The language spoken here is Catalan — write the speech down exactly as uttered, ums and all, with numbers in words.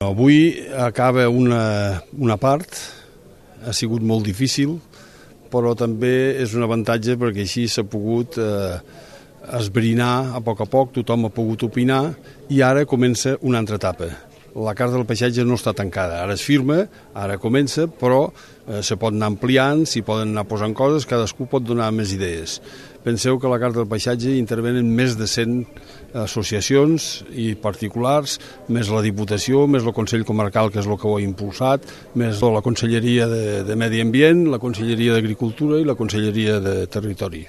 Avui acaba una, una part, ha sigut molt difícil, però també és un avantatge perquè així s'ha pogut eh, esbrinar a poc a poc, tothom ha pogut opinar i ara comença una altra etapa. La carta del paisatge no està tancada, ara es firma, ara comença, però eh, se pot anar ampliant, s'hi poden anar posant coses, cadascú pot donar més idees. Penseu que a la carta del paisatge intervenen més de cent associacions i particulars, més la Diputació, més el Consell Comarcal, que és el que ho ha impulsat, més la Conselleria de, de Medi Ambient, la Conselleria d'Agricultura i la Conselleria de Territori.